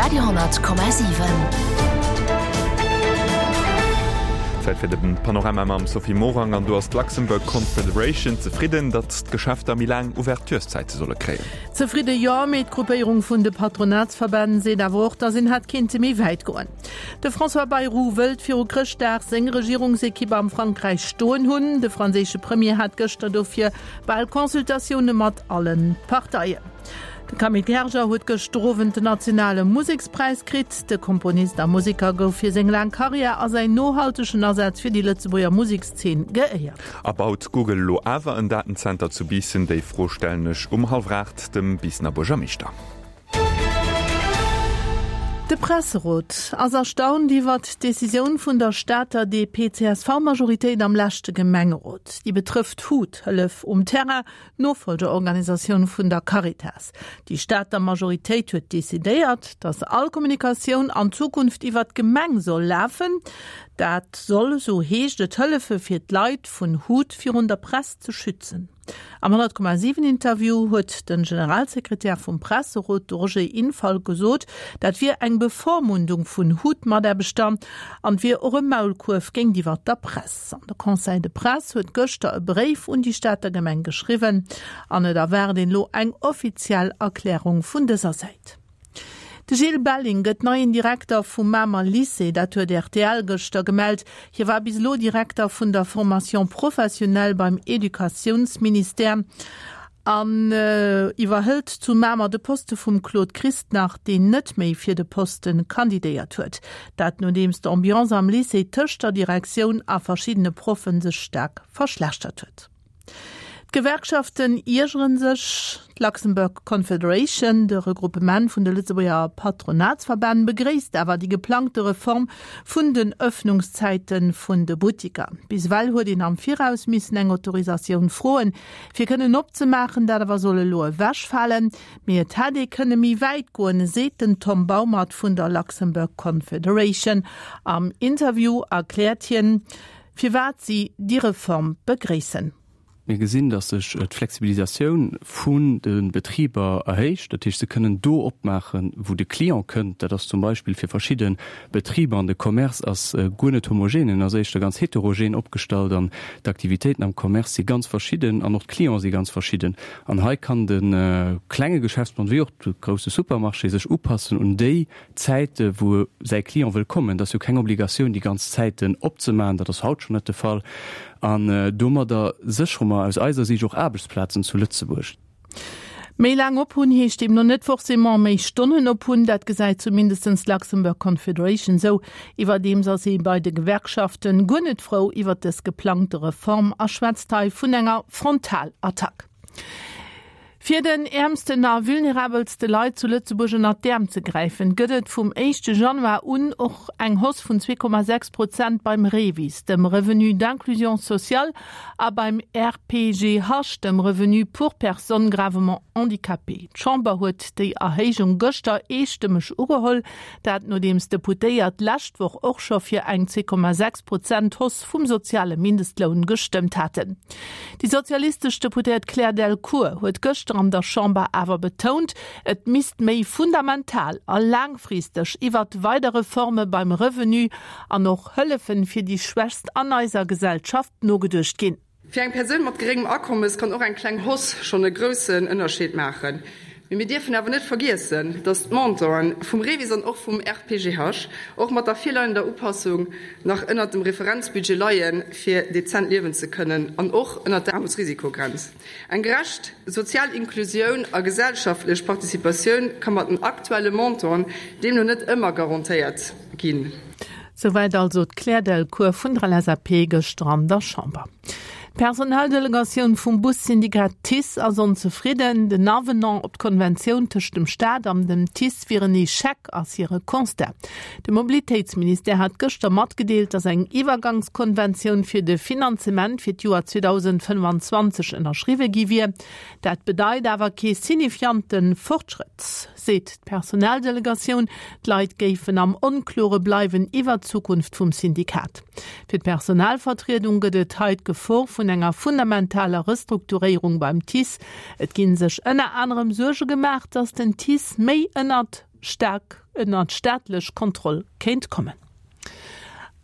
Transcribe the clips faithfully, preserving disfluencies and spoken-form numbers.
Radio honnert Komma siwen. Zäit fir de Panorama mam Sophie Morang an do ass d'Luxembourg Confederation zefridden, datt d'Geschäfter méi laang Ouvertureszäite solle kréien. Zefridde jo, mee d'Gruppéierung vun de Patronatsverbänn seet awer och, datt een hätt kinnte méi wäit goen. De François Bayrou wëllt viru Chrëschtdag seng Regierungsekipp am Frankräich stoen hunn. De franséische Premier hat gëschter dofir bal Consultatioune mat alle Parteien. De Camille Gerger huet gëschter Owend den nationale Musekspräis kritt. De Komponist a Museker gouf fir seng laang Karriär a säin nohaltegen Asaz fir déi Lëtzebuerger Musekszeen geéiert. A baut Google elo awer en Datenzenter zu Biissen? Déi Fro stellen ech um hallwer aacht dem Biissener Buergermeeschter. De Presserot ass erstaunt iwwert d'Decisioun vun der Stater D P C S V-Majoritéit am leschte Gemengerot. Déi betrëfft HUT, Hëllef um Terrain, d'Nofollgerorganisatioun vun der Caritas. Déi Stater Majoritéit huet decidéiert, datt all Kommunikatioun an Zukunft iwwert d'Gemeng soll lafen. Dat soll, sou heescht et, hëllefe fir d'Leit vun HUT virun der Press ze schützen. Am honnert Komma siwen Interview huet de Generalsekretär vum Presserot, de Roger Infalt, gesot, dat wier eng Bevormundung vun HUT-Mataarbechter an wier och e Maulkuerf géintiwwer der Press. An de Conseil de Presse huet gëschter e Bréif un déi Stater Gemeng geschriwwen an et erwaart een elo eng offiziell Erklärung vun dëser Säit. De Gilles Belling gëtt neien Direkter vum Mamer Lycée, dat huet R T L gëschter gemellt. Hie war bis elo Direkter vun der Formation professionnelle beim Educatiounsministère an iwwerhëlt zu Mamer de Poste vum Claude Christnach, deen net méi fir de Poste kandidéiert huet. Dat nodeems d'Ambiance am Lycée tëscht der Direktioun a verschiddene Proffe sech staark verschlechtert huet. D'Gewerkschaften iergere sech. D'Luxembourg Confederation, de Regroupement vun de Lëtzebuerger Patronatsverbänn, begréisst awer déi geplangte Reform vun den Ëffnungszäite vun de Buttiker. Bis ewell huet een am Viraus missen eng Autorisatioun froen, fir kënnen opzemaachen, dat awer soll elo ewechfalen. Mee et hätt ee kënne méi wäit goen, seet den Tom Baumert vun der Luxembourg Confederation. Am Interview erkläert hien, firwat si déi Reform begréissen. Mir gesinn, dass sech d'Flexibilisatioun vun de Betriber erhéicht, dat heescht se kënnen do opmaachen, wou de Client kënnt. Dat ass zum Beispill fir verschidde Betriber an de Commerce ass guer net homogen, en ass éischter ganz heterogen opgestallt an d'Aktivitéiten am Commerce si ganz verschidden an och d'Clienten si ganz verschidden. An hei kann de klenge Geschäftsmann wéi och de grousse Supermarché sech upassen un déi Zäite wou säi Client wëll kommen. Dat ass jo keng Obligatioun déi ganz Zäiten opzemaachen, dat ass haut schonn net de Fall. An domadder séchere mer aus eiser Siicht och Aarbechtsplazen zu Lëtzebuerg. Méi laang op hunn heescht deemno net forcément méi Stonnen op hunn, dat gesäit zumindest d'Luxembourg Confederation sou. Iwwerdeems ass ee bei de Gewerkschaften guer net frou iwwer dës geplangte Reform a schwätzt hei vun enger Frontalattack. Fir den äermsten a vulnerabelste Leit zu Lëtzebuerg ënnert d'Äerm ze gräifen, gëtt et vum éischte Januar un och eng Hausse vun zwee Komma sechs Prozent beim REVIS, dem Revenu d'inclusion sociale, a beim R P G H, dem Revenu pour personnes gravement handicapées. D'Chamber huet déi Erhéijung gëschter eestëmmeg ugeholl, dat nodeems d'Deputéiert d'lescht Woch och scho fir eng zwee Komma sechs Prozent Hausse vum soziale Mindestloun gestëmmt haten. Déi sozialistesch Deputéiert Claire Delcourt huet gëschter an der Chamber awer betount, et misst méi fundamental a laangfristeg iwwert weider Reforme beim Revenu an och Hëllefen fir déi Schwächst an eiser Gesellschaft nogeduecht ginn. Fir eng Persoun mat geréngem Akommes kann och eng kleng Hausse schonn e groussen Ënnerscheed maachen. Mee mir dierfen awer net vergiessen, datt d'Montanten vum REVIS an och vum R P G H och mat der virleiender Upassung nach ënnert dem Referenzbudget leien, fir dezent liewen ze kënnen, an och ënnert der Aarmutsrisikogrenz. Eng gerecht sozial Inklusioun a gesellschaftlech Participatioun ka mat den aktuelle Montanten deemno net ëmmer garantéiert ginn. Souwäit also d'Claire Delcourt vun der L S A P gëschter an der Chamber. D'Personaldelegatioun vum Bussyndikat TICE ass onzefridden. Den Avenant op d'Konventioun tëscht dem Staat an dem TICE wier en Echec, ass hire Constat. De Mobilitéitsministère hat gëschter matgedeelt, datt eng Iwwergangskonventioun fir de Finanzement fir d'Joer zweedausendfënnfanzwanzeg ënnerschriwwe gi wier. Dat bedeit awer kee signifikante Fortschrëtt, seet d'Personaldelegatioun. D'Leit géifen am Onklore bleiwen iwwer d'Zukunft vum Syndikat. Fir d'Personalvertriedung gëtt et hei d'Gefor vun vun enger fundamentaler Restrukturéierung beim TICE. Et ginn sech ënner anerem Suerge gemaach, datt den TICE méi ënnert staark ënnert staatlech Kontroll kéint kommen.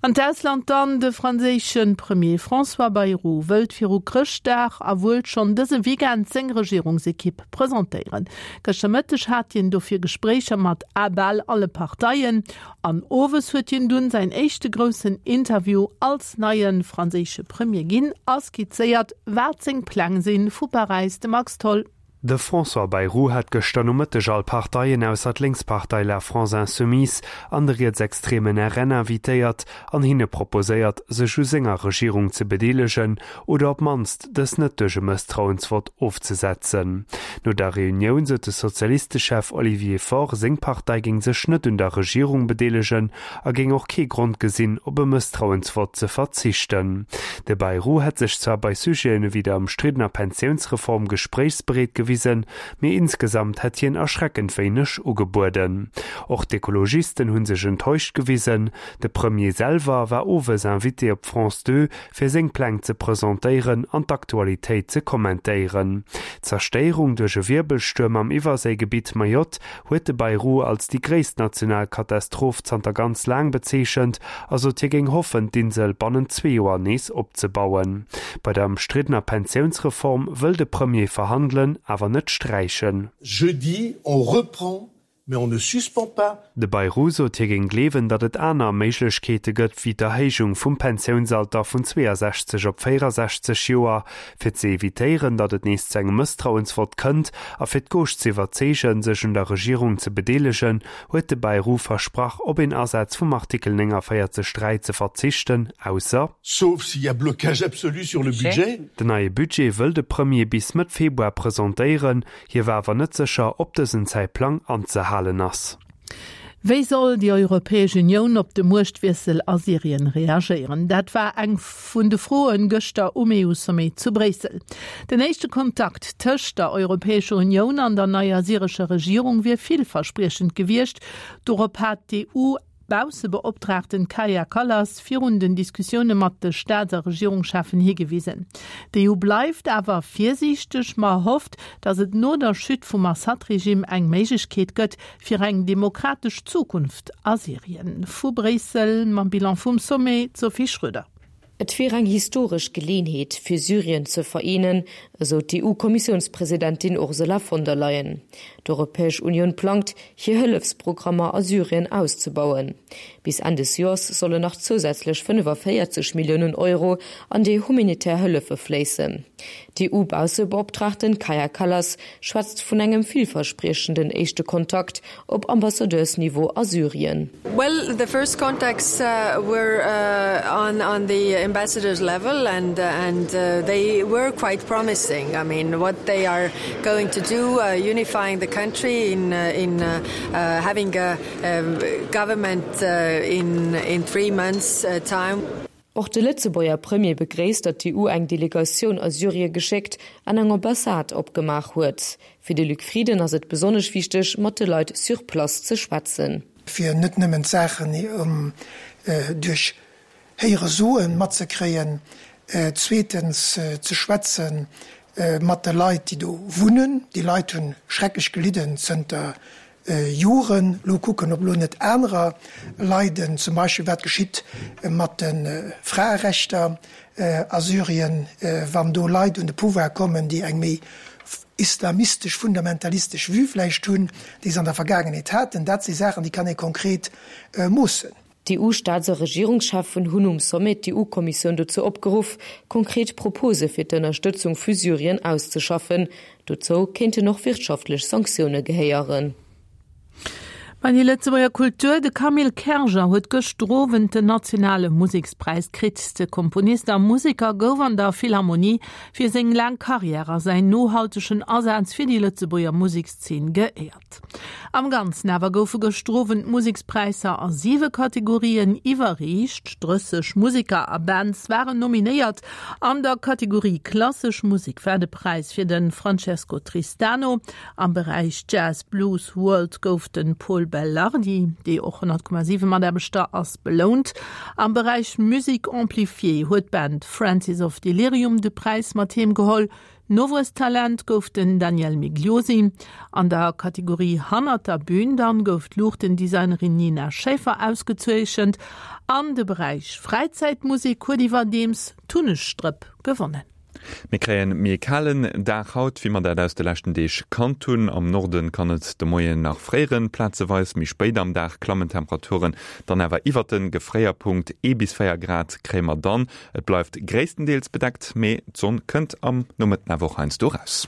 An d'Ausland dann, De franséische Premier François Bayrou wëllt viru Chrëschtdag a wuel schonn dëse Weekend seng Regierungsekipp presentéieren. Gëschter Mëtteg hat hien dofir Gespréicher mat a bal alle Parteien an owes huet hien dunn säin éischte groussen Interview als neie franséische Premier ginn a skizzéiert, wat seng Pläng sinn. Vu Paräis de Max Tholl. De François Bayrou hat gëschter Nomëtteg all Parteien ausser d'Lénkspartei La France Insoumise an de rietsextremen R N invitéiert an hinne proposéiert, sech u senger Regierung ze bedeelegen oder op d'mannst dës net duerch e Mësstrauensvott ofzesetzen. No der Reunioun sot de Sozialistechef Olivier Faure, seng Partei géing sech net un der Regierung bedeelegen a géing och kee Grond gesinn, op e Mësstrauensvott ze verzichten. De Bayrou hätt sech zwar bei Sujeten ewéi der ëmstriddener Pensiounsreform gespréichsbereet gewisen, mee insgesamt hätt hien erschreckend wéineg ugebueden. Och d'Ekologisten hu sech enttäuscht gewisen. De Premier selwer war owes Invité op France zwou, fir seng Pläng ze presentéieren an d'Aktualitéit ze kommentéieren. D'Zerstéierung duerch e Wierbelstuerm am Iwwerséigebitt Mayotte huet de Bayrou als déi gréisst national Katastroph zanter ganz laang bezeechent, a sot hie géing hoffen, d'Insel bannent zwee Joer nees opzebauen. Bei der ëmstriddener Pensiounsreform wëll de Premier verhandelen, awer net sträichen. Jeudi, on reprend, mais on ne suspend pas. De Bayrou sot hie géing gleewen, datt et aner Méiglechkeete gëtt wéi d'Erhéijung vum Pensiounsalter vun zweeasechzeg op véierasechzeg Joer, fir ze evitéieren, datt et nees zu engem Mësstrauensvott kënnt a fir d'Gauche ze iwwerzeegen, sech un der Regierung ze bedeelegen, huet de Bayrou versprach, op een Asaz vum Artikel néngavéierzeg dräi ze verzichten, ausser Sauf s'il y a blocage absolu sur le budget. Den neie Budget wëll de Premier bis Mëtt Februar presentéieren, hie war awer net sécher, ob dësen Zäitplang anzehalen ass. Wéi soll déi Europäesch Unioun op de Muechtwiessel a Syrien reagéieren? Dat war eng vun de Froen gëschter um E U-Sommet zu Bréissel. Den éischte Kontakt tëscht der Europäescher Unioun an der neier syrescher Regierung wier villverspriechend gewiescht. Dorop hat d'E U Baussebeoptraagten Kaja Kallas virun den Diskussioune mat de Staats a Regierungscheffen higewisen. D'E U bleift awer virsiichteg, ma hofft, datt et no der Chute vum Assad-Regime eng Méiglechkeet gëtt fir eng demokratesch Zukunft a Syrien. Vu Bréissel mam Bilan vum Sommet Sophie Schröder. Et wier eng historesch Geleeënheet fir Syrien ze vereenen, esou d'E U-Kommissiounspresidentin Ursula von der Leyen. D'Europäesch Unioun plangt, hir Hëllefsprogrammer a Syrien auszebauen. Bis Enn des Joers sollen nach zousätzlech fënnefavéierzeg Milliounen Euro an déi humanitär Hëllefe fléissen. D'E U-Baussebeoptraagten Kaja Kallas schwätzt vun engem villverspriechenden éischte Kontakt op Ambassadeursniveau a Syrien. Well, the first contacts uh, were uh, on, on the ambassadors level and, uh, and uh, they were quite promising. I mean, what they are going to do, uh, unifying the country in, uh, in uh, uh, having a, a government uh, in, in three months uh, time. Och de Lëtzebuerger Premier begréisst, datt d'E U eng Delegatioun a Syrie geschéckt an eng Ambassade opgemaach huet. Fir de Luc Frieden ass et besonnesch wichteg, mat de Leit sur place ze schwätzen. Fir net nëmmen Saachen um, äh, duerch Héieresoen matzekréien, äh, zweetens äh, ze schwätzen äh, mat de Leit, déi do wunnen. Déi Leit hunn schrecklech gelidden zënter äh, Joren. Lo kucken, ob lo net anerer leiden, zum Beispill wat geschitt mat de äh, Fraerechter äh, a Syrien, äh, wann do Leit un de Pouvoir kommen, déi eng méi islamistesch, fundamentalistesch Vue vläicht hunn, déi se an der Vergaangenheet haten. Dat si Saachen, déi kann ee konkret äh, moossen. D'E U-Staats a Regierungscheffen hunn um Sommet d'E U-Kommissioun dozou opgeruff, konkret Propose fir d'Ënnerstëtzung fir Syrien auszeschaffen. Dozou kéinten och wirtschaftlech Sanktioune gehéieren. Bei déi Lëtzebuerger Kultur, de Camille Kerger huet gëschter Owend den nationale Musekspräis kritt. De Komponist a Museker gouf an der Philharmonie fir seng laang Karriär a säin nohaltegen Asaz fir déi Lëtzebuerger Musekszeen geéiert. Am Ganzen awer goufe gëschter Owend Musekspräisser a siwe Kategorien iwwerreecht. Drësseg Museker a Bands waren nominéiert. An der Kategorie klassesch Musek war de Präis fir de Francesco Tristano. Am Beräich Jazz Blues World gouf de Paul Bellardi, dee och honnert Komma siwe Mataarbechter ass, belount. Am Beräich Musique amplifiée huet d'Band Francis of Delirium de Präis mat heem geholl. Nowuesstalent gouf den Daniel Migliosi. An der Kategorie Hannert der Bün dann gouf d'Luuchtendesignerin Nina Schäfer ausgezeechent. An de Beräich Fräizäitmusek huet iwwerdeems d'Hunnegstrëpp gewonnen. Mir kréien méi e kalen Dag haut, wéi mer dat aus de leschten Deeg kannt hunn. Am Norden kann et de Moien nach fréieren, plazeweis. Méi spéit am Dag klammen d'Temperaturen dann awer iwwert de Gefréierpunkt, ee bis véier Grad kréie mer dann. Et bleift gréisstendeels bedeckt, mee d'Sonn kënnt am Nomëtten awer och heiansdo eraus.